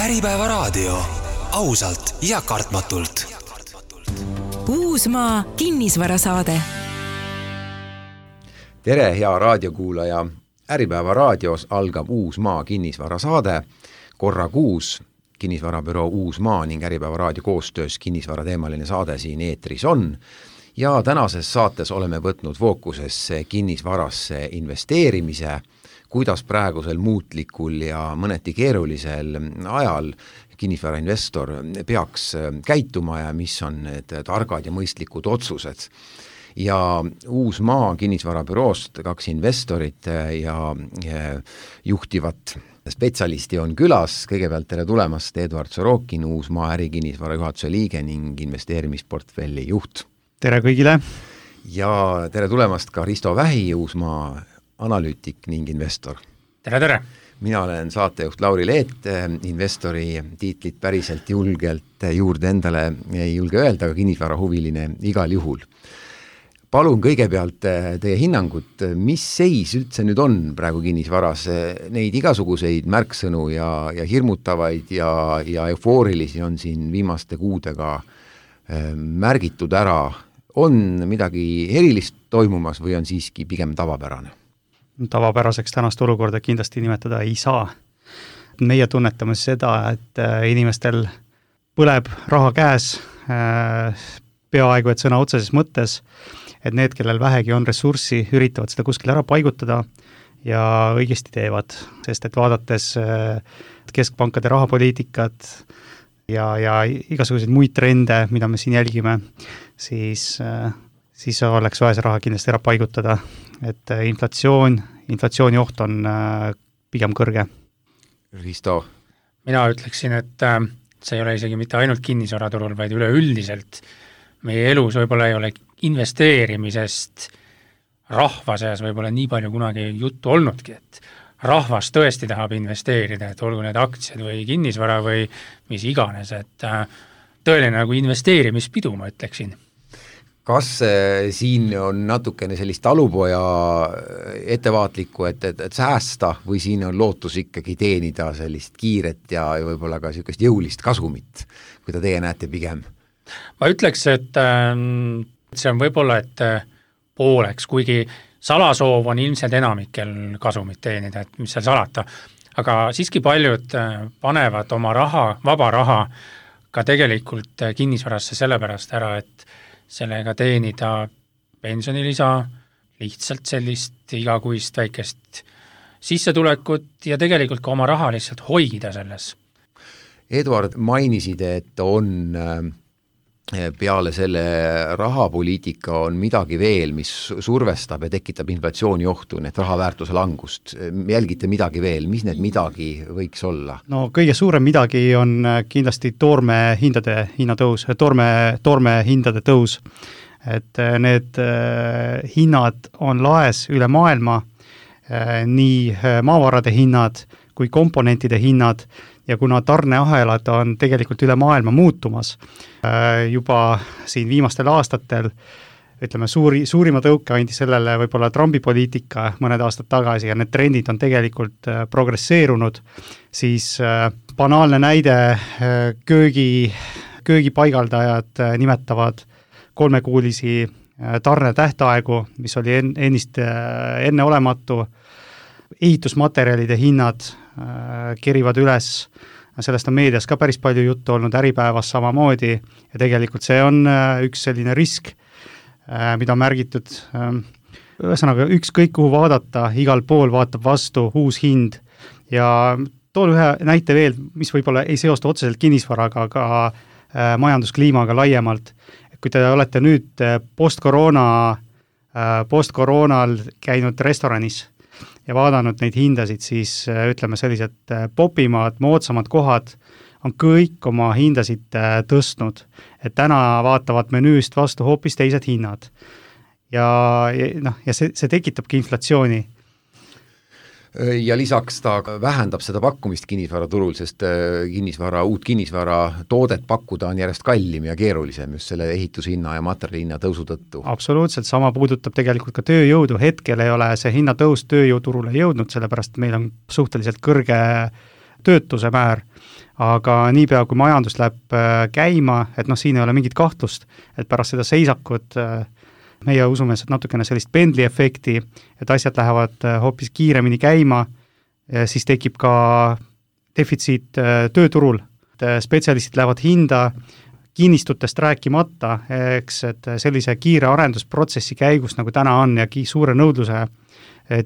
Äripäeva raadio. Ausalt ja kartmatult. Uusmaa kinnisvarasaade. Tere, hea raadiokuulaja. Äripäeva raadios algab Uusmaa kinnisvarasaade. Korra kuus kinnisvarabüroo Uusmaa ning Äripäeva raadio koostöös kinnisvarateemaline saade siin eetris on. Ja tänases saates oleme võtnud fookusesse kinnisvarasse investeerimise, kuidas praegusel muutlikul ja mõneti keerulisel ajal kinnisvarainvestor peaks käituma ja mis on need targad ja mõistlikud otsused. Ja Uusmaa kinnisvarabüroost 2 investorit ja juhtivat spetsialisti on külas. Kõigepealt tere tulemast, Eduard Sorokin, Uusmaa ärikinnisvara juhatuse liige ning investeerimisportfelli juht. Tere kõigile! Ja tere tulemast ka Risto Vähi, Uusmaa analüütik ning investor. Tere, tere! Mina olen saatejuht Lauri Leet, investori tiitlit päriselt julgelt juurde endale ei julge öelda, aga kinnisvarahuviline igal juhul. Palun kõigepealt teie hinnangut, mis seis üldse nüüd on praegu kinnisvaras? Neid igasuguseid märksõnu ja hirmutavaid ja eufoorilisi on siin viimaste kuudega märgitud ära. On midagi erilist toimumas või on siiski pigem tavapärane? Tavapäraseks tänast olukorda kindlasti nimetada ei saa. Meie tunnetame seda, et inimestel põleb raha käes, peaaegu et sõna otseses mõttes, et need, kellel vähegi on ressurssi, üritavad seda kuskil ära paigutada ja õigesti teevad, sest et vaadates keskpankade rahapoliitikat ja igasuguseid muid trende, mida me siin jälgime, siis oleks vaja see raha kindlasti ära paigutada, et inflatsiooni oht on pigem kõrge. Risto? Mina ütleksin, et see ei ole isegi mitte ainult kinnisvaraturul, vaid üleüldiselt meie elus võib-olla ei ole investeerimisest rahva seas võib-olla nii palju kunagi juttu olnudki, et rahvas tõesti tahab investeerida, et olgu need aktsiad või kinnisvara või mis iganes, et tõeline nagu investeerimispidu, ma ütleksin. Kas siin on natukene sellist talupoja ettevaatlikku, et säästa või siin on lootus ikkagi teenida sellist kiiret ja võib-olla ka sellist jõulist kasumit, kui teie näete pigem? Ma ütleks, et see on võib-olla, et pooleks, kuigi salasoov on ilmselt enamikel kasumit teenida, et mis seal salata, aga siiski paljud panevad oma raha, vaba raha ka tegelikult kinnisvarasse sellepärast ära, et sellega teenida pensionilisa, lihtsalt sellist igakuist väikest sissetulekut ja tegelikult ka oma raha lihtsalt hoida selles. Eduard, mainisid, et on peale selle rahapoliitika on midagi veel, mis survestab ja tekitab inflatsiooni ohtu, need rahaväärtuse langust. Jälgite midagi veel, mis need midagi võiks olla? No kõige suurem midagi on kindlasti toorme hindade tõus. Et need hinnad on laes üle maailma, nii maavarade hinnad kui komponentide hinnad, ja kuna tarneahelad on tegelikult üle maailma muutumas, juba siin viimastel aastatel, ütleme, suurima tõuke andi sellele võib-olla Trumpi poliitika mõned aastad tagasi ja need trendid on tegelikult progresseerunud, siis banaalne näide köögipaigaldajad nimetavad 3-kuulisi tarnetähtaegu, mis oli enneolematu, ehitusmaterjalide hinnad kerivad üles, sellest on meedias ka päris palju juttu olnud, Äripäevas samamoodi ja tegelikult see on üks selline risk, mida on märgitud. Ühesõnaga, ükskõik kuhu vaadata, igal pool vaatab vastu uus hind ja toon ühe näite veel, mis võib-olla ei seostu otseselt kinnisvaraga, aga majanduskliimaga laiemalt. Kui te olete nüüd postkoroonal käinud restoranis ja vaadanud neid hindasid, siis ütleme sellised popimad, moodsamad kohad on kõik oma hindasid tõstnud. Et täna vaatavad menüüst vastu hoopis teised hinnad. Ja see tekitabki inflatsiooni. Ja lisaks ta vähendab seda pakkumist kinnisvaraturul, sest uut kinnisvara toodet pakkuda on järjest kallim ja keerulisem just selle ehitushinna ja materjalihinna tõusu tõttu. Absoluutselt, sama puudutab tegelikult ka tööjõudu. Hetkel ei ole see hinnatõus tööjõuturule jõudnud, sellepärast meil on suhteliselt kõrge töötuse määr, aga niipea, kui majandus läheb käima, et siin ei ole mingit kahtlust, et pärast seda seisakut meie usume natukene sellist pendli efekti, et asjad lähevad hoopis kiiremini käima, siis tekib ka defitsiit tööturul, spetsialistid lähevad hinda, kinnistutest rääkimata, eks, et sellise kiire arendusprotsessi käigus, nagu täna on ja suure nõudluse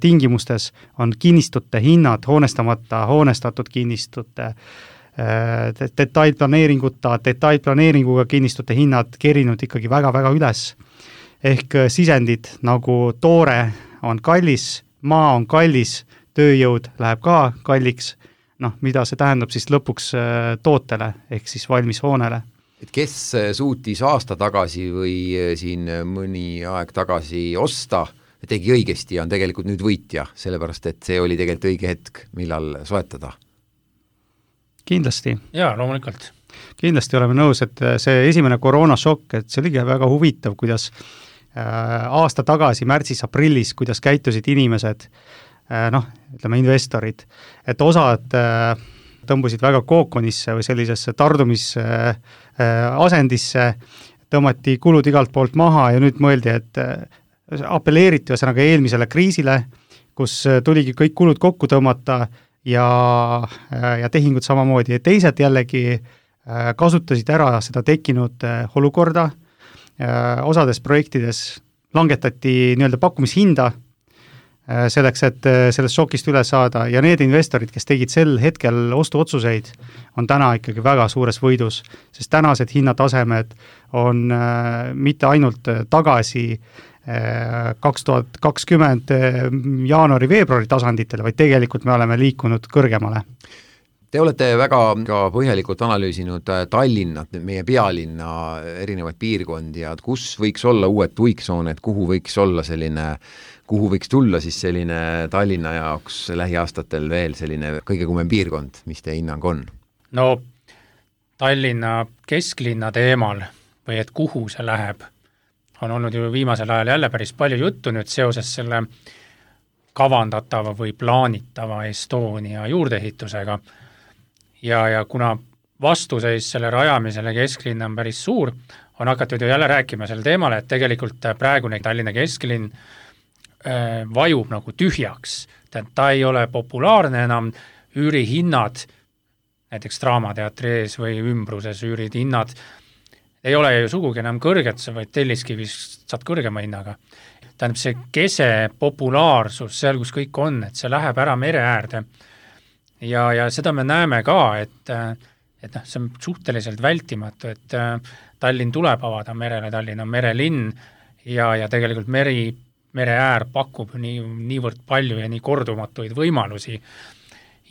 tingimustes on kinnistute hinnad, hoonestatud kinnistute, detailplaneeringuga kinnistute hinnad kerinud ikkagi väga-väga üles. Ehk sisendid nagu toore on kallis, maa on kallis, tööjõud läheb ka kalliks, mida see tähendab siis lõpuks tootele ehk siis valmis hoonele. Et kes suutis aasta tagasi või siin mõni aeg tagasi osta, tegi õigesti ja on tegelikult nüüd võitja, sellepärast et see oli tegelikult õige hetk, millal soetada. Kindlasti. Jaa, loomulikult. Kindlasti oleme nõus, et see esimene koroonashokk, et see oli väga huvitav, kuidas aasta tagasi, märtsis-aprillis, kuidas käitusid inimesed, ütleme investorid, et osad tõmbusid väga kookonisse või sellisesse tardumisasendisse, tõmmati kulud igalt poolt maha ja nüüd mõeldi, et apelleeriti ühesõnaga eelmisele kriisile, kus tuligi kõik kulud kokku tõmmata ja tehingud samamoodi. Ja teised jällegi kasutasid ära seda tekkinud olukorda, osades projektides langetati nii-öelda pakkumishinda selleks, et sellest šokist üle saada ja need investorid, kes tegid sel hetkel ostuotsuseid, on täna ikkagi väga suures võidus, sest tänased hinnatasemed on mitte ainult tagasi 2020 jaanuari-veebruari tasanditele, vaid tegelikult me oleme liikunud kõrgemale. Te olete väga ka põhjalikult analüüsinud Tallinnat, meie pealinna erinevaid piirkondi ja kus võiks olla uued tuiksooned, kuhu võiks tulla siis selline Tallinna jaoks lähiaastatel veel selline kõige kuumem piirkond, mis teie hinnang on? No Tallinna kesklinna teemal või et kuhu see läheb, on olnud ju viimasel ajal jälle päris palju juttu nüüd seoses selle kavandatava või plaanitava Estonia juurdeehitusega. Ja kuna vastuseis selle rajamisele kesklinna on päris suur, on hakatud ju jälle rääkima selle teemale, et tegelikult praegune Tallinna kesklinn vajub nagu tühjaks. Ta ei ole populaarne enam, üürihinnad, näiteks Draamateatri ees või ümbruses üürihinnad, ei ole ju sugugi enam kõrged, sa võid Telliskivist saad kõrgema hinnaga. Tähendab see kese populaarsus seal, kus kõik on, et see läheb ära mere äärde. Ja seda me näeme ka, et see on suhteliselt vältimatu, et Tallinn tuleb avada merele, Tallinn on merelinn ja tegelikult mere äär pakub niivõrd palju ja nii kordumatuid võimalusi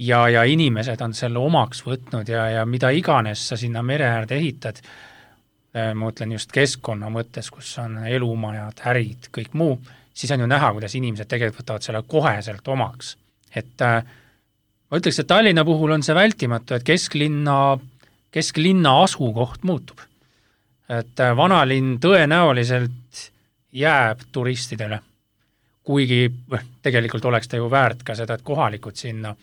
ja inimesed on selle omaks võtnud ja mida iganes sa sinna mere äärde ehitad, ma ütlen just keskkonna mõttes, kus on elumajad, ärid, kõik muu, siis on ju näha, kuidas inimesed tegelikult võtavad selle koheselt omaks. Et ma ütleks, et Tallinna puhul on see vältimatu, et kesklinna asukoht muutub. Et vanalinn tõenäoliselt jääb turistidele, kuigi tegelikult oleks ta ju väärt ka seda, et kohalikud sinna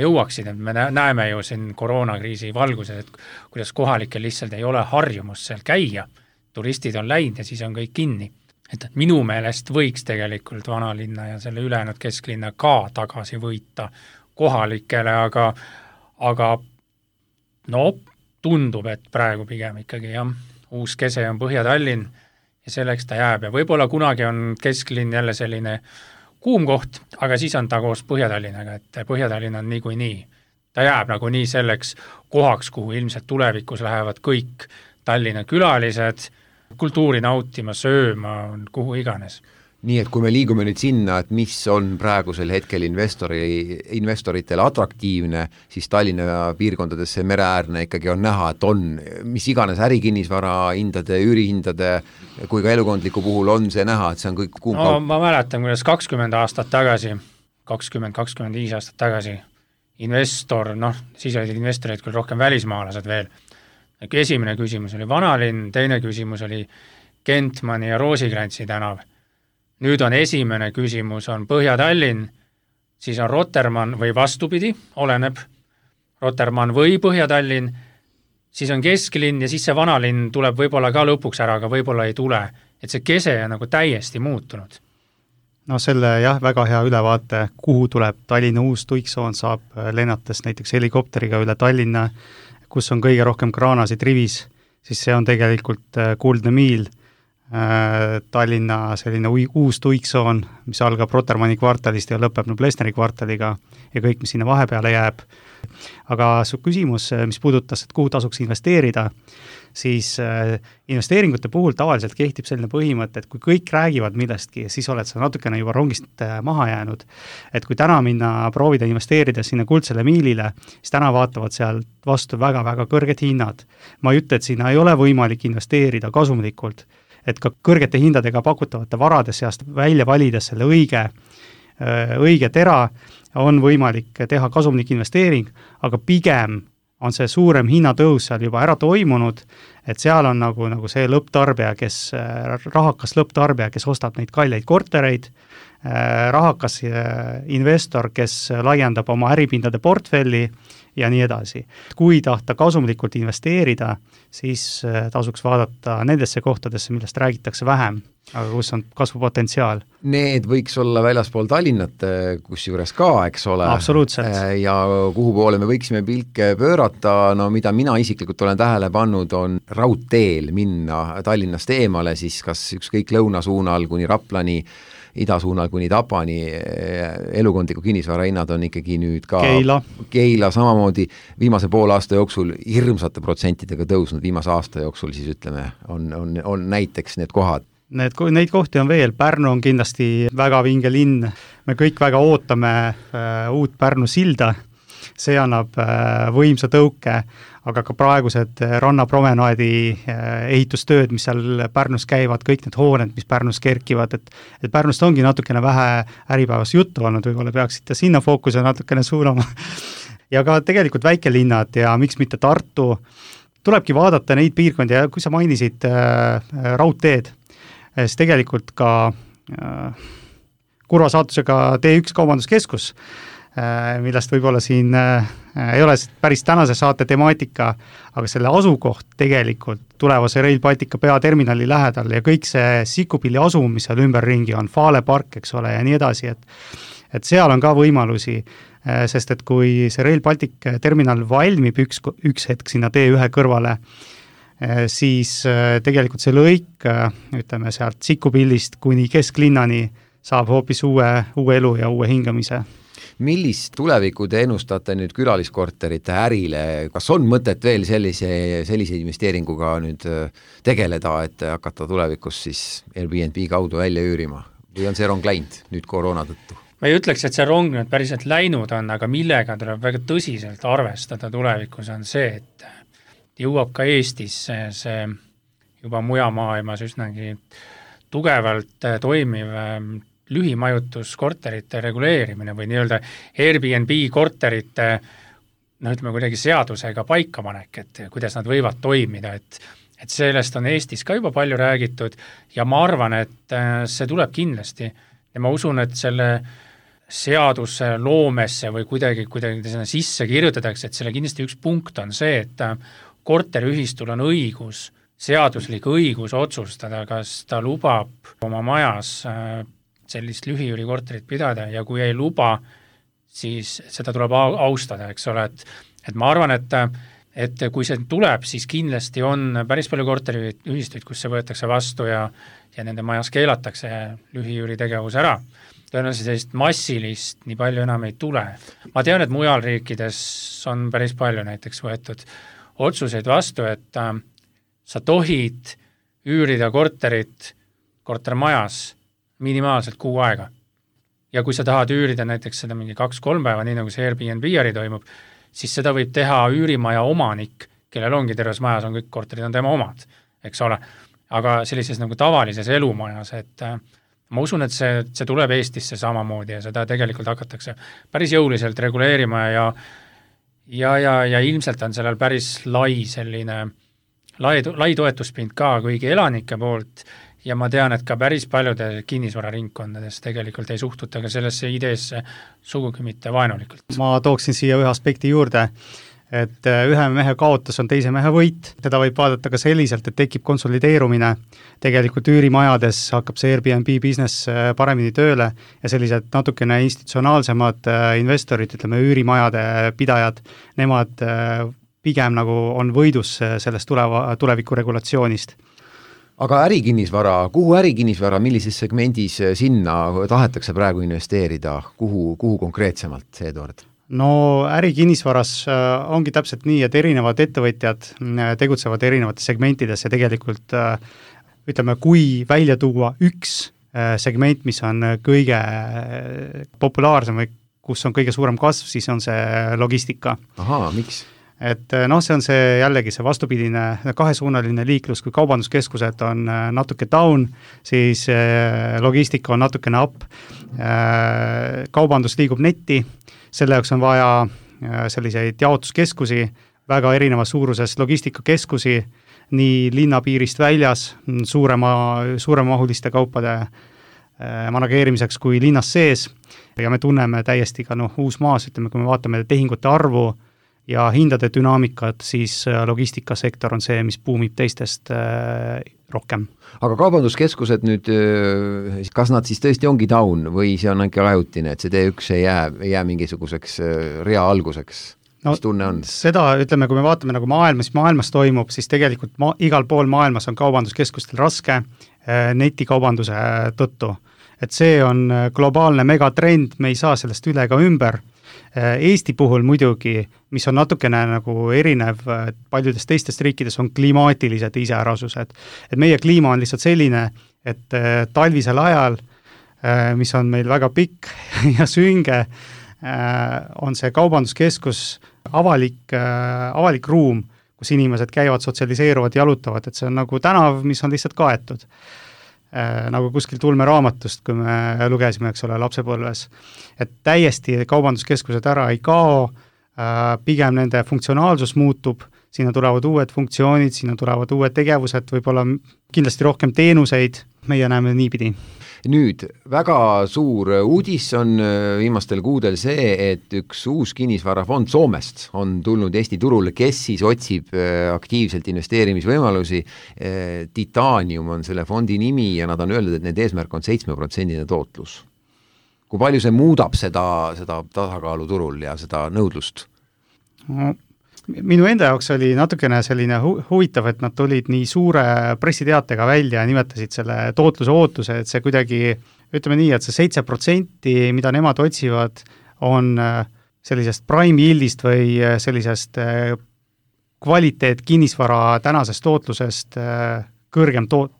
jõuaksid, et me näeme ju siin koroonakriisi valguses, et kuidas kohalikel lihtsalt ei ole harjumus seal käia, turistid on läinud ja siis on kõik kinni. Et minu meelest võiks tegelikult vanalinna ja selle ülejäänud kesklinna ka tagasi võita kohalikele, aga tundub, et praegu pigem ikkagi uus kese on Põhja-Tallinn ja selleks ta jääb ja võib-olla kunagi on kesklinn jälle selline kuum koht, aga siis on ta koos Põhja-Tallinnaga, et Põhja-Tallinn on niikuinii. Ta jääb nagunii selleks kohaks, kuhu ilmselt tulevikus lähevad kõik Tallinna külalised, kultuuri nautima, sööma, kuhu iganes. Nii et kui me liigume nüüd sinna, et mis on praegusel hetkel investoritele atraktiivne, siis Tallinna piirkondadesse mereäärne ikkagi on näha, et on mis iganes ärikinnisvara hindade, üürihindade kui ka elukondliku puhul on see näha, et see on kõik kuum kaup. Ma mäletan, kuidas 20 aastat tagasi, 20-25 aastat tagasi investor, siis olid investorid küll rohkem välismaalased veel. Esimene küsimus oli vanalinn, teine küsimus oli Kentmani ja Roosikrantsi tänav. Nüüd on esimene küsimus on Põhja-Tallinn, siis on Rotermann või vastupidi, oleneb, Rotermann või Põhja-Tallinn, siis on kesklinn ja siis see vanalinn tuleb võib-olla ka lõpuks ära, aga võib-olla ei tule. Et see kese on nagu täiesti muutunud. No selle jah, väga hea ülevaate, kuhu tuleb Tallinna uus tuiksoon, saab lennates näiteks helikopteriga üle Tallinna, kus on kõige rohkem kraanasid rivis, siis see on tegelikult kuldne miil. Tallinna selline uus tuiksoon, mis algab Rotermanni kvartalist ja lõpeb Plesneri kvartaliga ja kõik, mis sinna vahepeale jääb. Aga su küsimus, mis puudutas, et kuhu tasuks investeerida, siis investeeringute puhul tavaliselt kehtib selline põhimõte, et kui kõik räägivad millestki, siis oled sa natukene juba rongist maha jäänud. Et kui täna minna proovida investeerida sinna kuldsele miilile, siis täna vaatavad seal vastu väga-väga kõrged hinnad. Ma ei ütle, et sinna ei ole võimalik investeerida kasumlikult, et ka kõrgete hindadega pakutavate varade seast välja valides selle õige tera on võimalik teha kasumlik investeering, aga pigem on see suurem hinnatõus seal juba ära toimunud, et seal on nagu see lõpptarbija, rahakas lõpptarbija, kes ostab neid kalleid kortereid, rahakas investor, kes laiendab oma äripindade portfelli ja nii edasi. Kui tahta kasumlikult investeerida, siis tasuks vaadata nendesse kohtadesse, millest räägitakse vähem, aga kus on kasvupotentsiaal. Need võiks olla väljaspool Tallinnat, kus juures ka, eks ole. Absoluutselt. Ja kuhu poole me võiksime pilke pöörata, no mida mina isiklikult olen tähele pannud, on raudteel minna Tallinnast eemale, siis kas ükskõik lõunasuunal kuni Raplani, idasuunal kuni Tapani, elukondliku kinnisvara hinnad on ikkagi nüüd ka Keila samamoodi viimase poole aasta jooksul hirmsate protsentidega tõusnud, viimase aasta jooksul siis ütleme, on näiteks need kohad. Neid kohti on veel, Pärnu on kindlasti väga vinge linn, me kõik väga ootame uut Pärnu silda, see annab võimsa tõuke, aga ka praegused rannapromenaadi ehitustööd, mis seal Pärnus käivad, kõik need hooned, mis Pärnus kerkivad, et Pärnust ongi natukene vähe äripäevas juttu olnud, võib-olla peaksite sinna fookuse natukene suunama. Ja ka tegelikult väikelinnad ja miks mitte Tartu, tulebki vaadata neid piirkondi ja kui sa mainisid raudteed, siis tegelikult ka kurva saatusega T1 kaubanduskeskus, millest võib-olla siin ei ole päris tänase saate temaatika, aga selle asukoht tegelikult tulevase Rail Baltica peaterminali lähedal ja kõik see Sikupilli asum, mis seal ümberringi on, Fale park, eks ole, ja nii edasi, et seal on ka võimalusi, sest et kui see Rail Baltic terminal valmib üks hetk sinna T1 kõrvale, siis tegelikult see lõik, ütleme sealt Sikupillist kuni kesklinnani saab hoopis uue elu ja uue hingamise. Millist tulevikku te ennustate nüüd külaliskorterite ärile, kas on mõtet veel sellise investeeringuga nüüd tegeleda, et hakata tulevikus siis Airbnb kaudu välja üürima või on see rong läinud nüüd koroona tõttu? Ma ei ütleks, et see rong nüüd päriselt läinud on, aga millega tuleb väga tõsiselt arvestada tulevikus on see, et jõuab ka Eestis see juba mujamaailmas üsnagi tugevalt toimiv lühimajutuskorterite reguleerimine või nii-öelda Airbnb korterite ütleme kuidagi seadusega paikapanek, et kuidas nad võivad toimida, et sellest on Eestis ka juba palju räägitud ja ma arvan, et see tuleb kindlasti ja ma usun, et selle seaduse loomesse või kuidagi sinna sisse kirjutatakse, et selle kindlasti üks punkt on see, et korteriühistul on õigus, seaduslik õigus otsustada, kas ta lubab oma majas sellist lühiüürikorterit pidada ja kui ei luba, siis seda tuleb austada, eks ole, et ma arvan, et kui see tuleb, siis kindlasti on päris palju korteriühistuid, kus see võetakse vastu ja nende majas keelatakse lühiüüri tegevus ära. Tõenäoliselt sellist massilist nii palju enam ei tule. Ma tean, et mujal riikides on päris palju näiteks võetud otsuseid vastu, et sa tohid üürida kortermajas minimaalselt 6 aega. Ja kui sa tahad üürida näiteks seda mingi 2-3 päeva, nii nagu see Airbnb äri toimub, siis seda võib teha üürimaja omanik, kellel ongi terves majas, on kõik korterid on tema omad, eks ole. Aga sellises nagu tavalises elumajas, et ma usun, et see tuleb Eestisse samamoodi ja seda tegelikult hakatakse päris jõuliselt reguleerima ja ilmselt on sellel päris lai toetuspind ka kõigi elanike poolt ja ma tean, et ka päris paljude kinnisvararingkondades tegelikult ei suhtuta ka sellesse ideesse sugugi mitte vaenulikult. Ma tooksin siia ühe aspekti juurde, et ühe mehe kaotus on teise mehe võit. Seda võib vaadata ka selliselt, et tekib konsolideerumine. Tegelikult üürimajades hakkab see Airbnb business paremini tööle ja sellised natukene institutsionaalsemad investorid, ütleme üürimajade pidajad, nemad pigem nagu on võidus sellest tuleviku regulatsioonist. Aga ärikinnisvara, kuhu ärikinnisvara, millises segmendis sinna tahetakse praegu investeerida, kuhu konkreetsemalt, Eduard? No ärikinnisvaras ongi täpselt nii, et erinevad ettevõtjad tegutsevad erinevates segmentides ja tegelikult ütleme, kui välja tuua üks segment, mis on kõige populaarsem või kus on kõige suurem kasv, siis on see logistika. Ahaa, miks? Et see on see jällegi see vastupidine kahesuunaline liiklus, kui kaubanduskeskused on natuke down, siis logistika on natukene up, kaubandus liigub netti, selle jaoks on vaja selliseid jaotuskeskusi, väga erineva suuruses logistikakeskusi, nii linnapiirist väljas, suuremahuliste kaupade manageerimiseks kui linnas sees, ja me tunneme täiesti ka uusmaas, ütleme, kui me vaatame tehingute arvu ja hindade dünaamikat, siis logistikasektor on see, mis buumib teistest rohkem. Aga kaubanduskeskused nüüd, kas nad siis tõesti ongi down või see on ainult ajutine, et see T1 ei jää mingisuguseks rea alguseks? Mis tunne on? Seda, ütleme, kui me vaatame nagu maailmas toimub, siis tegelikult igal pool maailmas on kaubanduskeskustel raske netikaubanduse tõttu. Et see on globaalne megatrend, me ei saa sellest üle ka ümber. Eesti puhul muidugi, mis on natukene nagu erinev paljudest teistest riikides, on klimaatilised iseärasused. Et meie kliima on lihtsalt selline, et talvisel ajal, mis on meil väga pikk ja sünge, on see kaubanduskeskus avalik ruum, kus inimesed käivad, sotsialiseeruvad, jalutavad, et see on nagu tänav, mis on lihtsalt kaetud. Nagu kuskil tulmeraamatust, kui me lugesime, eks ole, lapsepõlves. Et täiesti kaubanduskeskused ära ei kao, pigem nende funktsionaalsus muutub, sinna tulevad uued funktsioonid, sinna tulevad uued tegevused, võib-olla kindlasti rohkem teenuseid, meie näeme niipidi. Nüüd, väga suur uudis on viimastel kuudel see, et üks uus kinnisvarafond Soomest on tulnud Eesti turule, kes siis otsib aktiivselt investeerimisvõimalusi. Titanium on selle fondi nimi ja nad on öeldud, et need eesmärk on 7% tootlus. Kui palju see muudab seda tasakaalu turul ja seda nõudlust? Minu enda jaoks oli natukene selline huvitav, et nad tulid nii suure pressiteatega välja ja nimetasid selle tootluse ootuse, et see kuidagi, ütleme nii, et see 7%, mida nemad otsivad, on sellisest prime yieldist või sellisest kvaliteet kinnisvara tänasest tootlusest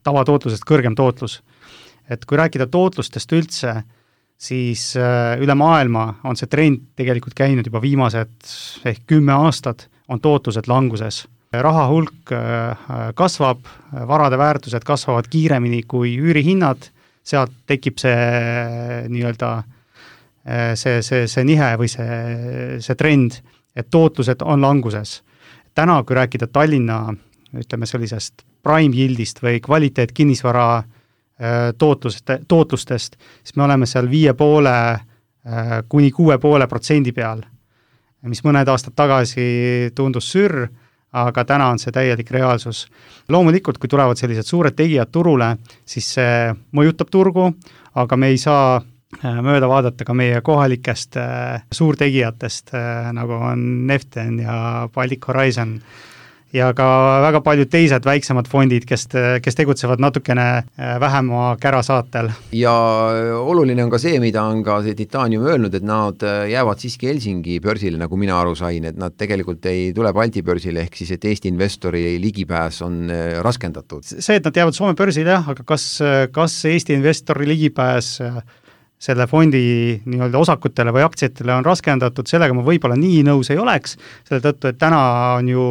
tavatootlusest kõrgem tootlus. Et kui rääkida tootlustest üldse, siis üle maailma on see trend tegelikult käinud juba viimased 10 aastat, on tootlused languses. Raha hulk kasvab, varade väärtused kasvavad kiiremini kui üürihinnad, sealt tekib see nii-öelda see nihe või see trend, et tootlused on languses. Täna, kui rääkida Tallinna, ütleme sellisest prime yieldist või kvaliteet kinnisvara tootlustest, siis me oleme seal 5,5 kuni 6,5% peal, mis mõned aastad tagasi tundus sürr, aga täna on see täielik reaalsus. Loomulikult, kui tulevad sellised suured tegijad turule, siis see mõjutab turgu, aga me ei saa mööda vaadata ka meie kohalikest suurtegijatest, nagu on Neften ja Baltic Horizon, ja ka väga paljud teised väiksemad fondid, kes tegutsevad natukene vähema kärasaatel. Ja oluline on ka see, mida on ka see Titanium öelnud, et nad jäävad siiski Helsingi börsile, nagu mina aru sain, et nad tegelikult ei tule Balti börsile, ehk siis, et Eesti investori ligipääs on raskendatud. See, et nad jäävad Soome börsile, jah, aga kas Eesti investori ligipääs selle fondi nii-öelda osakutele või aktsiatele on raskendatud, sellega ma võib-olla nii nõus ei oleks, selle tõttu, et täna on ju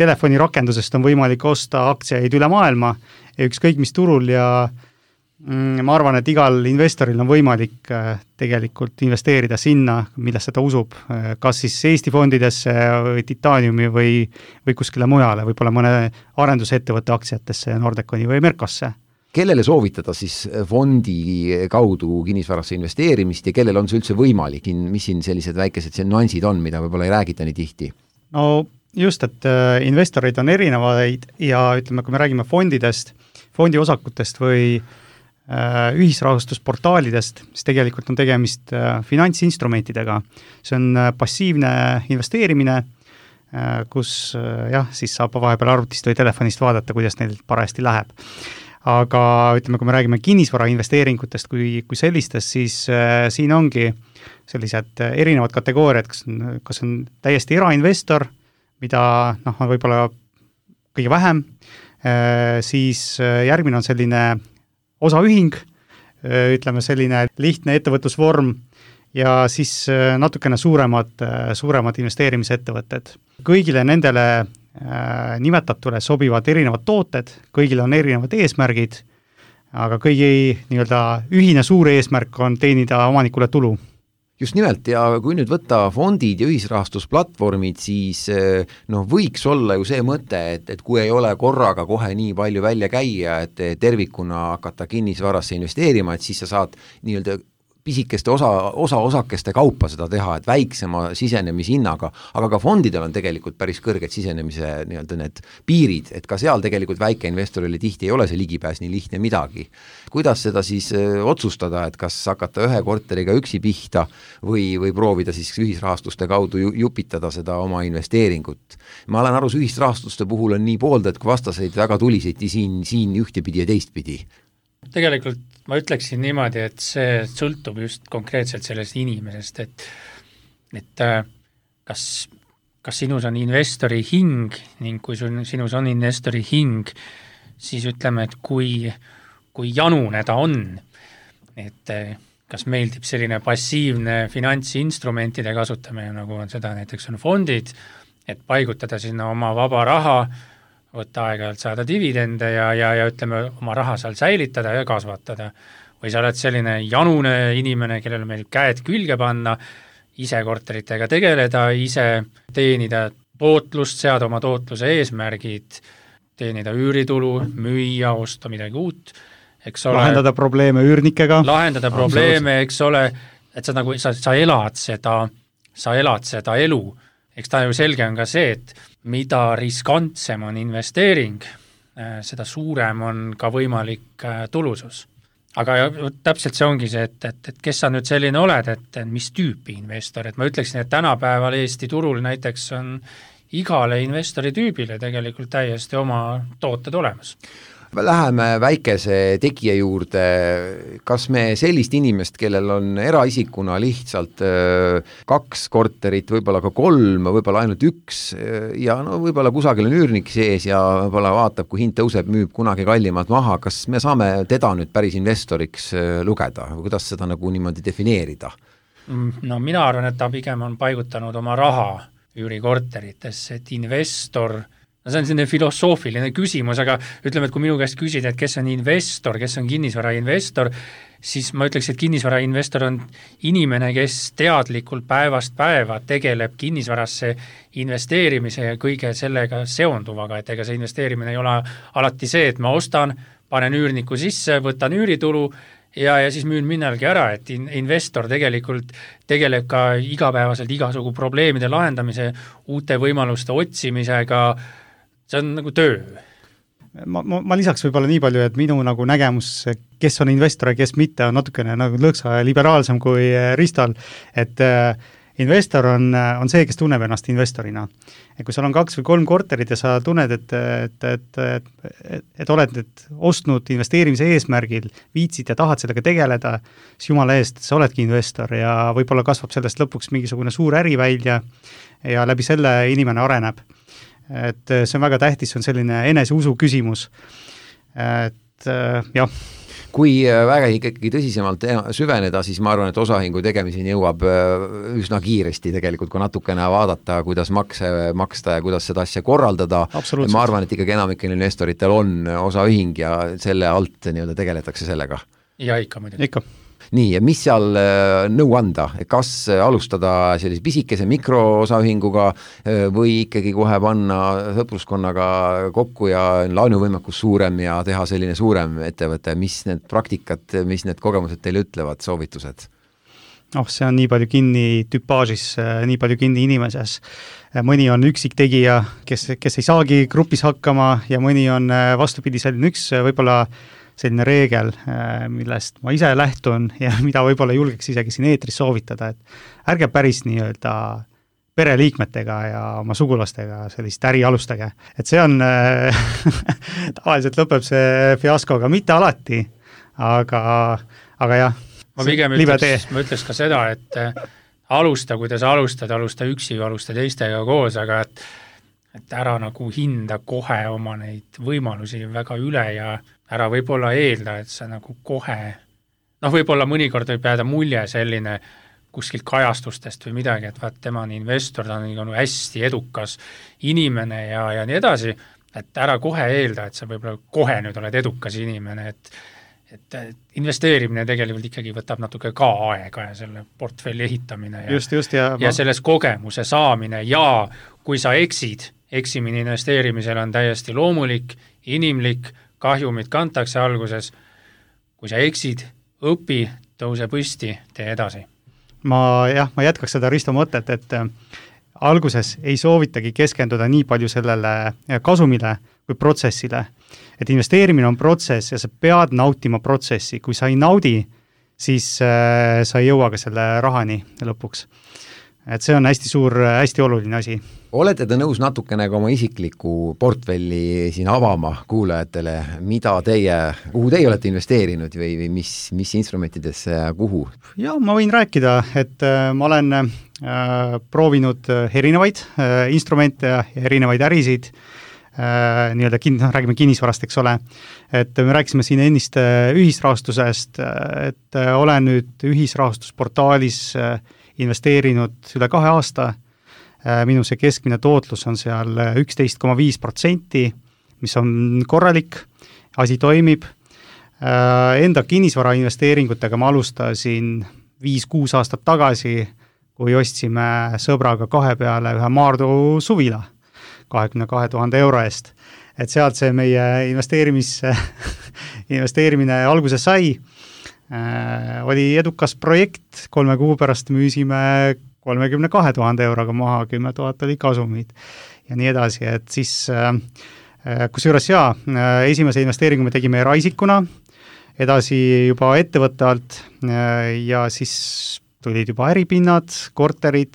telefonirakendusest on võimalik osta aktsiaid üle maailma ja ükskõik mis turul ja ma arvan, et igal investoril on võimalik tegelikult investeerida sinna, millesse ta usub, kas siis Eesti fondidesse või Titaniumi või kuskile mujale, võib-olla mõne arendusettevõtte aktsiatesse, Nordeconi või Merkosse. kellele soovitada siis fondi kaudu kinnisvarasse investeerimist ja kellel on see üldse võimalik, mis siin sellised väikesed nüansid on, mida võib-olla ei räägita nii tihti? No just, et investoreid on erinevaid ja ütleme, kui me räägime fondidest, fondiosakutest või ühisrahastusportaalidest, siis tegelikult on tegemist finantsinstrumentidega. See on passiivne investeerimine, kus siis saab vahepeal arvutist või telefonist vaadata, kuidas neil parajasti läheb. Aga ütleme, kui me räägime kinnisvara investeeringutest kui sellistest, siis siin ongi sellised erinevad kategooriad, kas on täiesti erainvestor, mida on võib-olla kõige vähem, siis järgmine on selline osaühing, ütleme selline lihtne ettevõtlusvorm ja siis natukene suuremad investeerimisettevõtted. Kõigile nendele nimetatule sobivad erinevad tooted, kõigil on erinevad eesmärgid, aga kõigi nii-öelda ühine suur eesmärk on teenida omanikule tulu. Just nimelt, ja kui nüüd võtta fondid ja ühisrahastusplatvormid, siis võiks olla ju see mõte, et kui ei ole korraga kohe nii palju välja käia, et tervikuna hakata kinnisvarasse investeerima, et siis sa saad nii-öelda pisikeste osakeste kaupa seda teha, et väiksema sisenemishinnaga, aga ka fondidel on tegelikult päris kõrged sisenemise nii-öelda need piirid, et ka seal tegelikult väikeinvestorile tihti ei ole see ligipääs nii lihtne midagi. Kuidas seda siis otsustada, et kas hakata ühe korteriga üksi pihta või proovida siis ühisrahastuste kaudu jupitada seda oma investeeringut? Ma olen aru, ühisrahastuste puhul on nii pooldaid kui vastaseid väga tuliseid siin ühtepidi ja teistpidi. Tegelikult ma ütleksin niimoodi, et see sõltub just konkreetselt sellest inimesest, et kas sinus on investori hing ning kui sinus on investori hing, siis ütleme, et kui janune ta on, et kas meeldib selline passiivne finantsinstrumentide kasutamine, nagu on seda näiteks on fondid, et paigutada sinna oma vaba raha, võtta aeg-ajalt saada dividende ja ütleme, oma raha seal säilitada ja kasvatada. Või sa oled selline janune inimene, kellel meeldib käed külge panna, ise korteritega tegeleda, ise teenida tootlust, seada oma tootluse eesmärgid, teenida üüritulu, müüa, osta midagi uut, eks ole. Lahendada probleeme üürnikega. Lahendada probleeme, eks ole, et sa elad seda elu. Eks ta ju selge on ka see, et mida riskantsem on investeering, seda suurem on ka võimalik tulusus. Aga täpselt see ongi see, et kes sa nüüd selline oled, et mis tüüpi investor, et ma ütleksin, et tänapäeval Eesti turul näiteks on igale investori tüübile tegelikult täiesti oma tooted olemas. Läheme väikese tegija juurde, kas me sellist inimest, kellel on eraisikuna lihtsalt 2 korterit, võib-olla ka 3, võib-olla ainult 1 ja võib-olla kusagil on üürnik sees ja võib-olla vaatab, kui hind tõuseb, müüb kunagi kallimalt maha, kas me saame teda nüüd päris investoriks lugeda või kuidas seda nagu niimoodi defineerida? No mina arvan, et ta pigem on paigutanud oma raha üürikorteritesse, et investor see on selline filosoofiline küsimus, aga ütleme, et kui minu käest küsida, et kes on investor, kes on kinnisvarainvestor, siis ma ütleks, et kinnisvarainvestor on inimene, kes teadlikult päevast päeva tegeleb kinnisvarasse investeerimise ja kõige sellega seonduvaga, et ega see investeerimine ei ole alati see, et ma ostan, panen üürniku sisse, võtan üüritulu ja siis müün minnalgi ära, et investor tegelikult tegeleb ka igapäevaselt igasugu probleemide lahendamise, uute võimaluste otsimisega, see on nagu töö. Ma lisaks võib-olla nii palju, et minu nagu nägemus, kes on investor ja kes mitte, on natukene nagu lõksa liberaalsem kui Ristal, et investor on see, kes tunneb ennast investorina. Et kui sul on 2 või 3 korterid ja sa tunned, et oled nüüd ostnud investeerimise eesmärgil, viitsid ja tahad sellega tegeleda, siis jumala eest, sa oledki investor ja võib-olla kasvab sellest lõpuks mingisugune suur äri välja ja läbi selle inimene areneb. Et see on väga tähtis, see on selline eneseusu küsimus. Et jah. Kui väga ikkagi tõsisemalt süveneda, siis ma arvan, et osahingu tegemiseni jõuab üsna kiiresti tegelikult, kui natukene vaadata, kuidas makse maksta ja kuidas seda asja korraldada. Ma arvan, et ikkagi enamikel investoritel on osaühing ja selle alt nii-öelda tegeletakse sellega. Ja ikka muidugi. Ikka. nii, ja mis seal nõu anda, kas alustada sellise pisikese mikroosaühinguga või ikkagi kohe panna sõpruskonnaga kokku ja laenuvõimekus suurem ja teha selline suurem ettevõte, mis need praktikad, mis need kogemused teile ütlevad, soovitused? See on nii palju kinni tüpaažis, nii palju kinni inimeses. Mõni on üksik tegija, kes ei saagi grupis hakkama ja mõni on vastupidi selline üks võib-olla selline reegel, millest ma ise lähtun ja mida võib-olla julgeks isegi siin eetris soovitada, et ärge päris nii-öelda pereliikmetega ja oma sugulastega sellist äri alustage. Et see on, tavaliselt lõpeb see fiaskoga, mitte alati, aga jah, ma pigem ütleks ka seda, et alusta, kui sa alusta üksi või alusta teistega koos, aga et ära nagu hinda kohe oma neid võimalusi väga üle ja ära võib-olla eelda, et sa nagu kohe, võib-olla mõnikord võib jääda mulje selline kuskilt kajastustest või midagi, et vaat tema on investor, ta on hästi edukas inimene ja nii edasi, et ära kohe eelda, et sa võib-olla kohe nüüd oled edukas inimene, et investeerimine tegelikult ikkagi võtab natuke ka aega ja selle portfelli ehitamine ja selles kogemuse saamine ja kui sa eksimine investeerimisel on täiesti loomulik, inimlik, kahjumid kantakse alguses, kui sa eksid, õpi, tõuse püsti, tee edasi. Ma jätkaks seda Risto mõtet, et alguses ei soovitagi keskenduda nii palju sellele kasumile kui protsessile. Et investeerimine on protsess ja sa pead nautima protsessi. Kui sa ei naudi, siis sa ei jõua ka selle rahani lõpuks. Et see on hästi suur, hästi oluline asi. Olete te nõus natukene ka oma isikliku portfelli siin avama kuulajatele, kuhu teie olete investeerinud või mis instrumentidesse ja kuhu? Ja ma võin rääkida, et ma olen proovinud erinevaid instrumente ja erinevaid ärisid, räägime kinnisvarast, eks ole, et me rääkisime siin ennist ühisrahastusest, et olen nüüd ühisrahastusportaalis investeerinud üle 2 aasta, minu see keskmine tootlus on seal 11,5%, mis on korralik, asi toimib, enda kinnisvara investeeringutega ma alustasin 5-6 aastat tagasi, kui ostsime sõbraga 2 peale ühe Maardu suvila 22 000 euro eest. Et sealt see meie investeerimine alguses sai. Oli edukas projekt, 3 kuu pärast müüsime 32 000 euroga maha, 10 000 oli kasumid ja nii edasi, et siis kusjuures esimese investeeringu me tegime eraisikuna, edasi juba ettevõtte alt ja siis tulid juba äripinnad, korterid,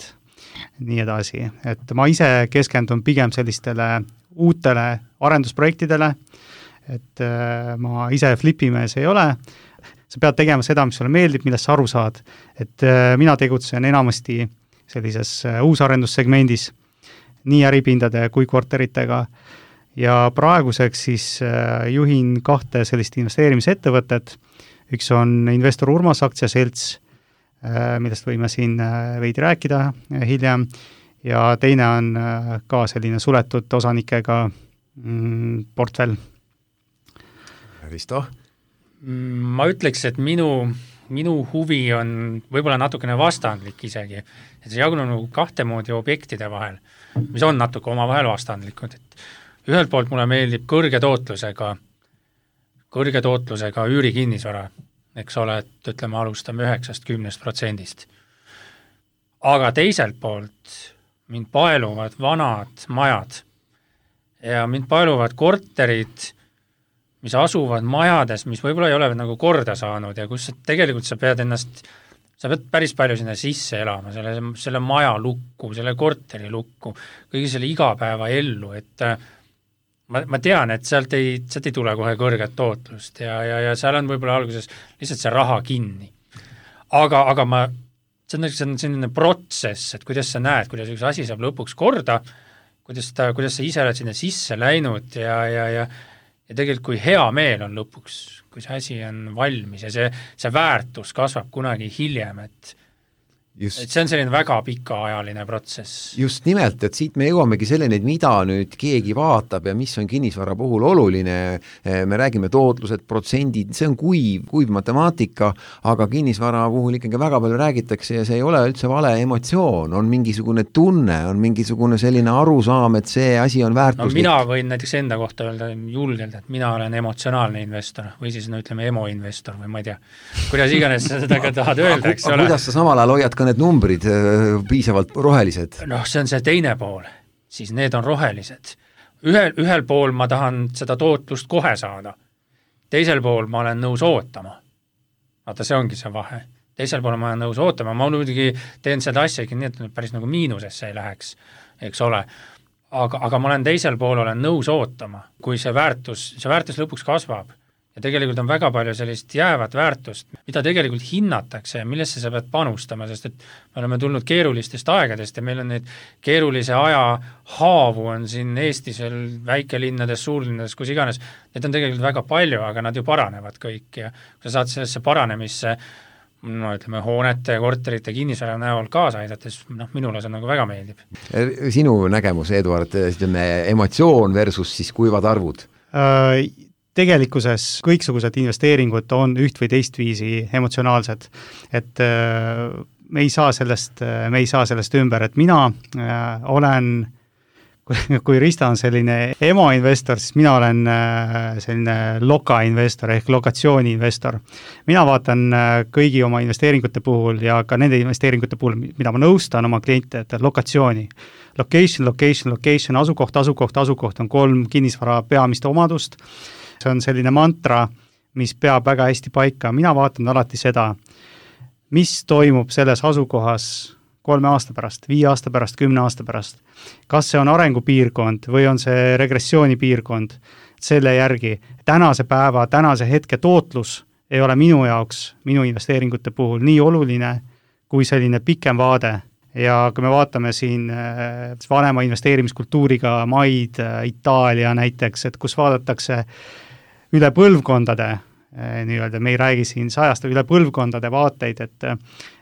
nii edasi, et ma ise keskendun pigem sellistele uutele arendusprojektidele, et ma ise flipimees ei ole, sa pead tegema seda, mis sulle meeldib, millest sa aru saad, et mina tegutsen enamasti sellises uusarendussegmendis, nii äripindade kui korteritega ja praeguseks siis juhin 2 sellist investeerimisettevõtet, üks on Investor Urmas aktsiaselts, millest võime siin veidi rääkida hiljem ja teine on ka selline suletud osanikega portfell. Risto? Ma ütleks, et minu huvi on võib-olla natukene vastandlik isegi, et see jagunub 2 moodi objektide vahel, mis on natuke omavahel vastandlikud, et ühelt poolt mulle meeldib kõrge tootlusega üürikinnisvara, eks ole, et ütleme, alustame 9-10%. Aga teiselt poolt mind paeluvad vanad majad ja mind paeluvad korterid, mis asuvad majades, mis võib-olla ei ole nagu korda saanud ja kus tegelikult sa pead päris palju sinna sisse elama, selle maja lukku, selle korteri lukku, kõigi selle igapäeva ellu, et ma tean, et sealt ei tule kohe kõrget tootlust ja seal on võib-olla alguses lihtsalt see raha kinni. Aga see on selline protsess, et kuidas sa näed, kuidas üks asi saab lõpuks korda, kuidas sa ise oled sinna sisse läinud ja tegelikult kui hea meel on lõpuks, kui see asi on valmis ja see väärtus kasvab kunagi hiljem, et et see on selline väga pikaajaline protsess. Just nimelt, et siit me jõuamegi selleni, et mida nüüd keegi vaatab ja mis on kinnisvara puhul oluline, me räägime tootlused, protsendid, see on kuiv matemaatika, aga kinnisvara puhul ikkagi väga palju räägitakse ja see ei ole üldse vale emotsioon, on mingisugune tunne, on mingisugune selline arusaam, et see asi on väärtuslik. No mina võin näiteks enda kohta öelda julgelt, et mina olen emotsionaalne investor või siis ütleme emo-investor või ma ei tea, kuidas iganes seda ka tahad öelda, eks ole. Kuidas sa samal ajal hoiad ka need numbrid piisavalt rohelised? Noh, see on see teine pool, siis need on rohelised. Ühel pool ma tahan seda tootlust kohe saada, teisel pool ma olen nõus ootama. Vaata, see ongi see vahe. Teisel pool ma olen nõus ootama, ma muidugi teen seda asja nii, et päris nagu miinusesse ei läheks, eks ole. Aga ma olen teisel pool, olen nõus ootama, kui see väärtus lõpuks kasvab. Ja tegelikult on väga palju sellist jäävat väärtust, mida tegelikult hinnatakse ja millesse sa pead panustama, sest et me oleme tulnud keerulistest aegadest ja meil on neid keerulise aja haavu on siin Eestis veel väikelinnades, suurlinnades, kus iganes. Need on tegelikult väga palju, aga nad ju paranevad kõik ja kui sa saad sellesse paranemisse ütleme, hoonete, korterite, kinnisvara näol kaasa aidates, minule see nagu väga meeldib. Sinu nägemus, Eduard, emotsioon versus siis kuivad arvud? Tegelikkuses kõiksugused investeeringud on üht või teist viisi emotsionaalsed, et me ei saa sellest ümber, et mina olen, kui Rista on selline emo-investor, siis mina olen selline loka-investor ehk lokatsiooni-investor. Mina vaatan kõigi oma investeeringute puhul ja ka nende investeeringute puhul, mida ma nõustan oma kliente, et lokatsiooni. Location, asukoht on 3 kinnisvara peamist omadust. See on selline mantra, mis peab väga hästi paika. Mina vaatan alati seda, mis toimub selles asukohas 3 aasta pärast, 5 aasta pärast, 10 aasta pärast. Kas see on arengupiirkond või on see regressioonipiirkond selle järgi. Tänase hetke tootlus ei ole minu jaoks, minu investeeringute puhul nii oluline kui selline pikem vaade. Ja kui me vaatame siin vanema investeerimiskultuuriga maid, Itaalia näiteks, et kus vaadatakse üle põlvkondade, nii-öelda, me ei räägi siin 100 üle põlvkondade vaateid,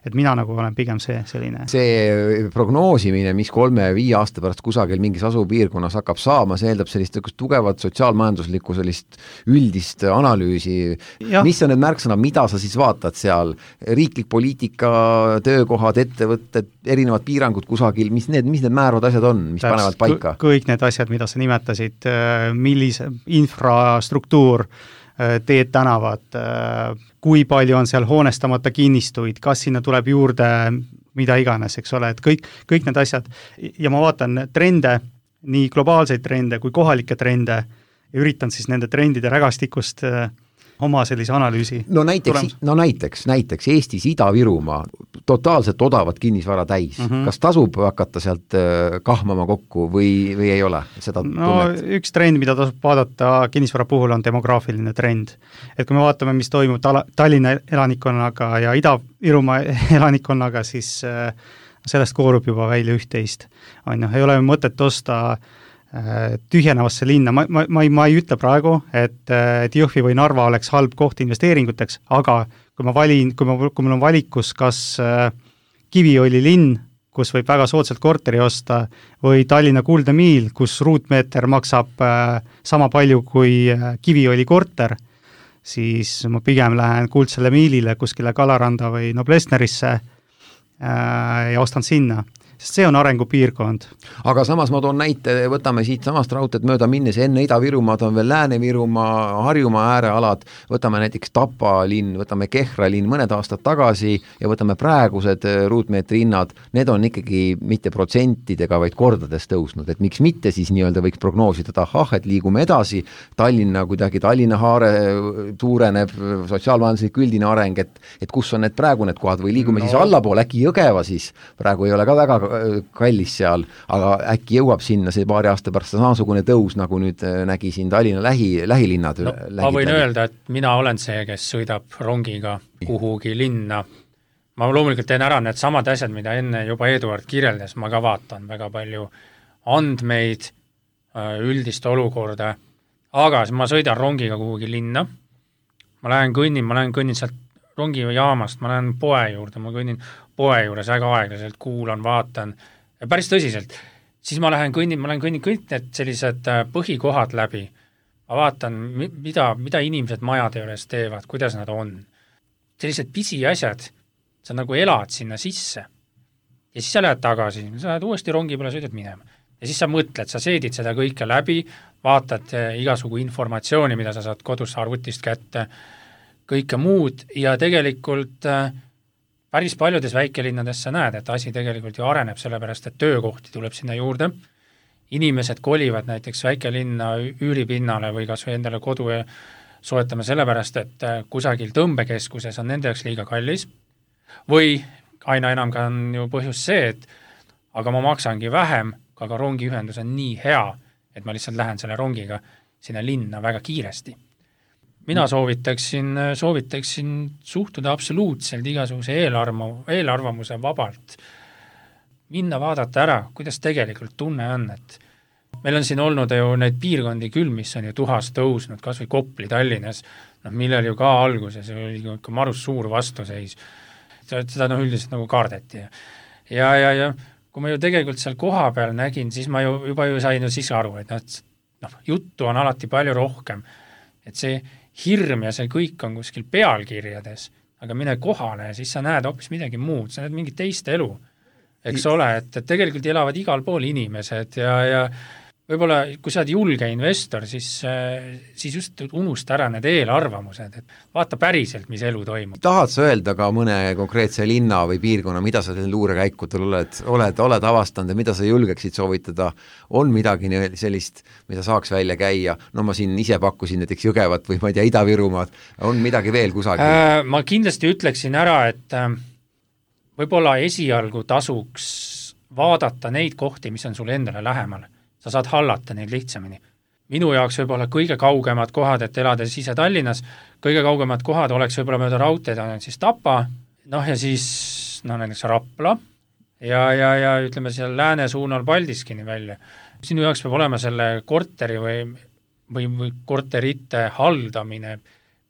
et mina nagu olen pigem selline. See prognoosimine, mis 3-5 aasta pärast kusagil mingis asupiirkonnas hakkab saama, see eeldab sellist tugevat sotsiaalmajanduslikku sellist üldist analüüsi. Mis on need märksõnad, mida sa siis vaatad seal? Riiklik poliitika, töökohad, ettevõtted, erinevad piirangud kusagil, mis need määravad asjad on, mis panevad paika? Kõik need asjad, mida sa nimetasid, millise infrastruktuur, teed tänavad, kui palju on seal hoonestamata kinnistuid, kas sinna tuleb juurde mida iganes, eks ole, et kõik need asjad ja ma vaatan trende, nii globaalseid trende kui kohalikke trende ja üritan siis nende trendide rägastikust oma sellise analüüsi. No näiteks Eestis Ida-Virumaa totaalselt odavat kinnisvara täis. Kas tasub hakata sealt kahmama kokku või ei ole seda tunnet? Üks trend, mida tasub vaadata kinnisvara puhul on demograafiline trend. Et kui me vaatame, mis toimub Tallinna elanikkonnaga ja Ida-Virumaa elanikkonnaga, siis sellest koorub juba välja üht-teist. Ei ole mõtet osta tühjenevasse linna. Ma ei ütle praegu, et Jõhvi või Narva oleks halb koht investeeringuteks, aga kui mul on valikus kas Kiviõli linn, kus võib väga soodsalt korteri osta, või Tallinna Kuldne Miil, kus ruutmeeter maksab sama palju kui Kiviõli korter, siis ma pigem lähen Kuldsele Miilile kuskile Kalaranda või Noblessnerisse ja ostan sinna. Sest see on arengupiirkond. Aga samas ma toon näite, võtame siit samast raudteed mööda minnes, enne Ida-Virumaad on veel Lääne-Virumaa, Harjumaa äärealad, võtame näiteks Tapa linn, võtame Kehra linn mõned aastad tagasi ja võtame praegused ruutmeetri hinnad, need on ikkagi mitte protsentidega, vaid kordades tõusnud, et miks mitte siis nii-öelda võiks prognoosida, et liigume edasi, Tallinna haare suureneb, sotsiaalmajanduslik üldine areng, et kus on need praegu need kohad või liigume siis allapoole, äkki Jõgeva siis, praegu ei ole ka väga kallis seal, aga äkki jõuab sinna see paari aasta pärast samasugune tõus, nagu nüüd nägi siin Tallinna lähilinnad. Ma võin öelda, et mina olen see, kes sõidab rongiga kuhugi linna. Ma loomulikult teen ära need samad asjad, mida enne juba Eduard kirjeldas, ma ka vaatan väga palju andmeid, üldist olukorda, aga ma sõidan rongiga kuhugi linna, ma lähen kõnnin sealt rongijaamast, ma lähen poe juurde, ma kõnnin poe juures väga aeglaselt, kuulan, vaatan, päris tõsiselt, siis ma lähen kõnnin kõik need sellised põhikohad läbi, ma vaatan, mida inimesed majade juures teevad, kuidas nad on. Sellised pisiasjad, sa nagu elad sinna sisse ja siis sa lähed tagasi, sa lähed uuesti rongi peale, sõidad minema. Ja siis sa mõtled, sa seedid seda kõike läbi, vaatad igasugu informatsiooni, mida sa saad kodus arvutist kätte, kõike muud ja tegelikult päris paljudes väikelinnades sa näed, et asi tegelikult ju areneb, sellepärast et töökohti tuleb sinna juurde, inimesed kolivad näiteks väikelinna üüripinnale või kas või endale kodu soetame sellepärast, et kusagil tõmbekeskuses on nende jaoks liiga kallis või aina enam ka on ju põhjus see, et aga ma maksangi vähem, aga rongiühendus on nii hea, et ma lihtsalt lähen selle rongiga sinna linna väga kiiresti. Mina soovitaksin suhtuda absoluutselt igasuguse eelarvamuse vabalt. Minna vaadata ära, kuidas tegelikult tunne on, et meil on siin olnud ju neid piirkondi küll, mis on ju tuhas tõusnud, kas või Kopli Tallinnas, millel ju ka alguses oli ikka marus suur vastuseis. Seda üldiselt nagu kardeti. Ja kui ma ju tegelikult seal koha peal nägin, siis ma juba sain siis aru, et juttu on alati palju rohkem, et see hirm ja see kõik on kuskil pealkirjades, aga mine kohale ja siis sa näed hoopis midagi muud, sa näed mingit teist elu, eks ole, et tegelikult elavad igal pool inimesed ja võib-olla kui sa oled julge investor, siis just unusta ära need eelarvamused, et vaata päriselt, mis elu toimub. Tahad sa öelda ka mõne konkreetse linna või piirkonna, mida sa luurekäikudel oled avastanud ja mida sa julgeksid soovitada, on midagi sellist, mida saaks välja käia, no ma siin ise pakkusin näiteks Jõgevat või ma ei tea, Ida-Virumaad, on midagi veel kusagil? Ma kindlasti ütleksin ära, et võib-olla esialgu tasuks vaadata neid kohti, mis on sul endale lähemal. Sa saad hallata neid lihtsamini. Minu jaoks võib-olla kõige kaugemad kohad, et elades ise Tallinnas, kõige kaugemad kohad oleks võib-olla mööda raudteed on siis Tapa, ja siis näiteks Rapla ja ütleme seal lääne suunal Paldiskini välja. Sinu jaoks peab olema selle korteri või korterite haldamine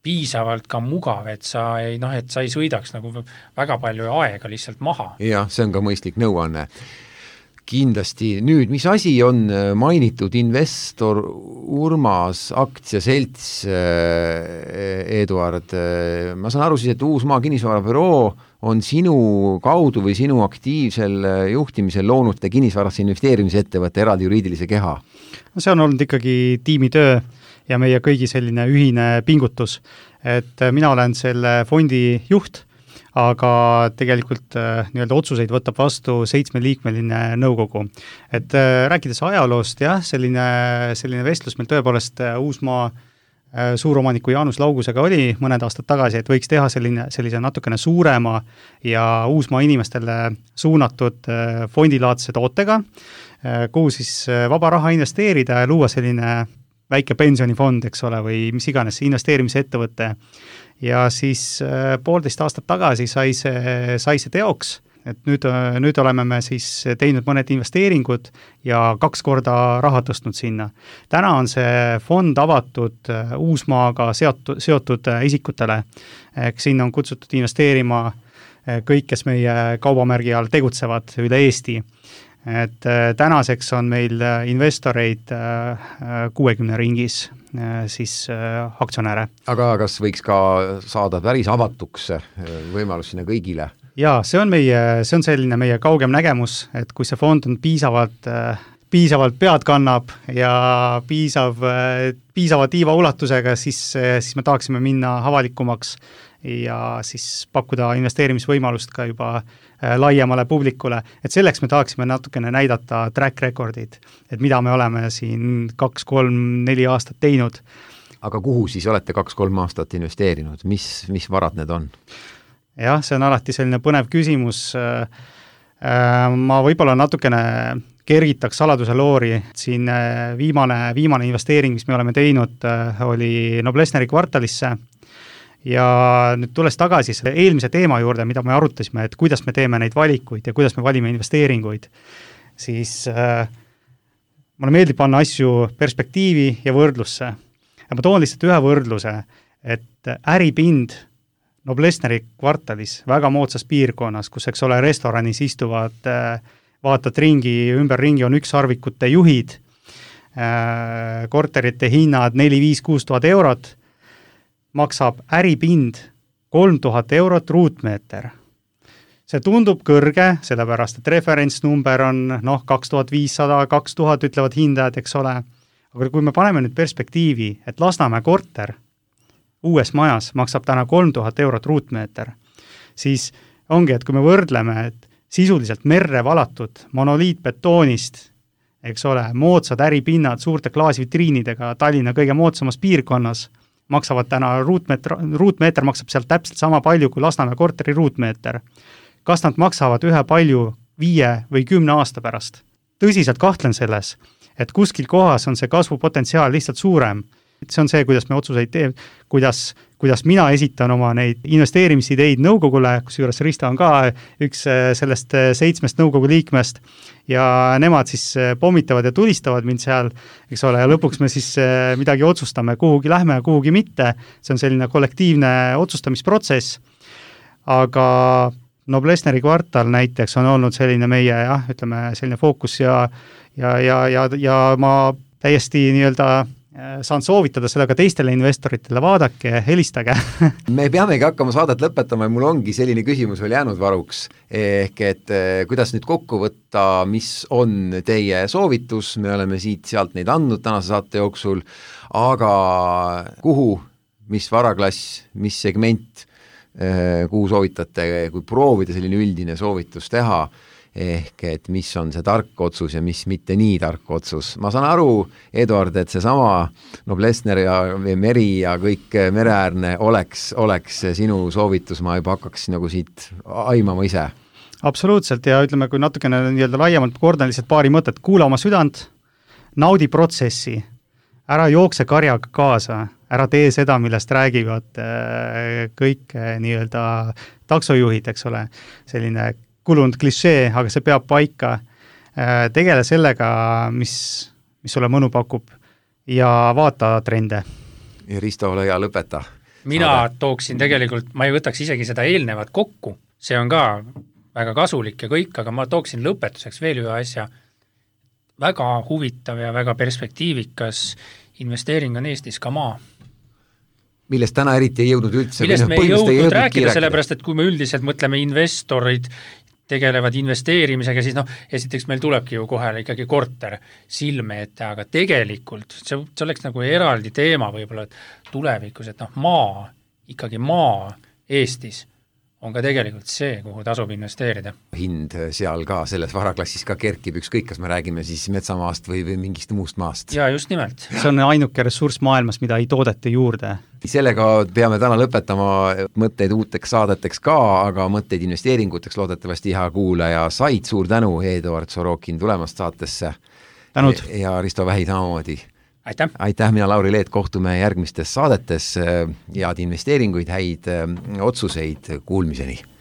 piisavalt ka mugav, et sa ei sõidaks nagu väga palju aega lihtsalt maha. Jah, see on ka mõistlik nõuanne. Kindlasti. Nüüd, mis asi on mainitud investor Urmas aktsiaselts, Eduard? Ma saan aru siis, et Uusmaa kinnisvarabüroo on sinu kaudu või sinu aktiivsel juhtimisel loonud kinnisvarasse investeerimise ettevõtte eraldi juriidilise keha. See on olnud ikkagi tiimitöö ja meie kõigi selline ühine pingutus, et mina olen selle fondi juht, aga tegelikult nii-öelda otsuseid võtab vastu 7-liikmeline nõukogu. Et rääkides ajaloost, jah, selline vestlus meil tõepoolest Uusmaa suuromaniku Jaanus Laugusega oli mõned aastad tagasi, et võiks teha sellise natukene suurema ja Uusmaa inimestele suunatud fondilaadse tootega, kuhu siis vaba raha investeerida ja luua selline väike pensionifond, eks ole, või mis iganes investeerimise ettevõte. Ja siis 1,5 aastat tagasi sai see teoks, et nüüd oleme me siis teinud mõned investeeringud ja 2 korda raha tõstnud sinna. Täna on see fond avatud Uusmaaga seotud isikutele, sinna on kutsutud investeerima kõik, kes meie kaubamärgi all tegutsevad üle Eesti. Et tänaseks on meil investoreid 60 ringis siis aktsionäre. Aga kas võiks ka saada päris avatuks võimalus sinna kõigile? Jaa, see on selline meie kaugem nägemus, et kui see fond on piisavalt pead kannab ja piisava tiiva ulatusega, siis me tahaksime minna avalikumaks ja siis pakkuda investeerimisvõimalust ka juba laiemale publikule, et selleks me tahaksime natukene näidata track recordid, et mida me oleme siin 2, 3, 4 aastat teinud. Aga kuhu siis olete 2-3 aastat investeerinud? Mis varad need on? Jah, see on alati selline põnev küsimus. Ma võib-olla natukene kergitaks saladuse loori. Siin viimane investeering, mis me oleme teinud, oli Noblessneri kvartalisse. Ja nüüd tules tagasi selle eelmise teema juurde, mida me arutasime, et kuidas me teeme neid valikuid ja kuidas me valime investeeringuid, siis mulle meeldib panna asju perspektiivi ja võrdlusse. Ja ma toon lihtsalt ühe võrdluse, et äripind Noblessneri kvartalis, väga moodsas piirkonnas, kus, eks ole, restoranis istuvad, vaatad ümberringi on ükssarvikute juhid, korterite hinnad 4-5-6 tuhat eurot, maksab äripind 3000 eurot ruutmeeter. See tundub kõrge, sellepärast, et referentsnumber on 2500, 2000 ütlevad hindajad, eks ole, aga kui me paneme nüüd perspektiivi, et Lasnamäe korter uues majas maksab täna 3000 eurot ruutmeeter, siis ongi, et kui me võrdleme, et sisuliselt merre valatud monoliitbetoonist, eks ole, moodsad äripinnad suurte klaasvitriinidega Tallinna kõige moodsamas piirkonnas, maksavad täna ruutmeeter maksab sealt täpselt sama palju kui Lasnamäe korteri ruutmeeter. Kas nad maksavad ühe palju 5 või 10 aasta pärast? Tõsiselt kahtlen selles, et kuskil kohas on see kasvupotentsiaal lihtsalt suurem. See on see, kuidas me otsuseid teeme, kuidas mina esitan oma neid investeerimisideid nõukogule, kusjuures Risto on ka üks sellest 7 nõukogu liikmest ja nemad siis pommitavad ja tulistavad mind seal, eks ole, ja lõpuks me siis midagi otsustame, kuhugi lähme ja kuhugi mitte. See on selline kollektiivne otsustamisprotsess, aga Noblessneri kvartal näiteks on olnud selline meie, selline fookus ja ma täiesti saan soovitada seda ka teistele investoritele, vaadake, helistage. Me peamegi hakkama saadet lõpetama ja mul ongi selline küsimus veel jäänud varuks, ehk et kuidas nüüd kokku võtta, mis on teie soovitus, me oleme siit-sealt neid andnud tänase saate jooksul, aga kuhu, mis varaklass, mis segment, kuhu soovitate, kui proovida selline üldine soovitus teha, ehk et mis on see tark otsus ja mis mitte nii tark otsus. Ma saan aru, Eduard, et seesama Noblessner ja meri ja kõik mereäärne oleks sinu soovitus, ma juba hakkaks nagu siit aimama ise. Absoluutselt, ja ütleme, kui natukene laiemalt kordan lihtsalt paari mõtet, kuula oma südant, naudi protsessi, ära jookse karjaga kaasa, ära tee seda, millest räägivad kõik taksojuhid, eks ole, selline kulunud klišee, aga see peab paika. Tegele sellega, mis sulle mõnu pakub ja vaata trende. Ja Risto, ole hea, lõpeta. Mina tooksin tegelikult, ma ei võtaks isegi seda eelnevat kokku, see on ka väga kasulik ja kõik, aga ma tooksin lõpetuseks veel ühe asja. Väga huvitav ja väga perspektiivikas investeering on Eestis ka maa. Millest täna eriti ei jõudnud üldse. Millest me ei jõudnud rääkida, sellepärast, et kui me üldiselt mõtleme investorid, tegelevad investeerimisega, siis esiteks meil tulebki ju kohe ikkagi korter silme ette, aga tegelikult see oleks nagu eraldi teema võib-olla, et tulevikus, et maa, ikkagi maa Eestis on ka tegelikult see, kuhu tasub investeerida. Hind seal ka selles varaklassis ka kerkib, ükskõik, kas me räägime siis metsamaast või mingist muust maast. Ja just nimelt. See on ainuke ressurss maailmas, mida ei toodeta juurde. Sellega peame täna lõpetama, mõtteid uuteks saadeteks ka, aga mõtteid investeeringuteks loodetavasti hea kuulaja said. Suur tänu, Eduard Sorokin, tulemast saatesse. Tänud. Ja Risto Vähi samamoodi. Aitäh, mina Lauri Leet, kohtume järgmistes saadetes, head investeeringuid, häid otsuseid, kuulmiseni.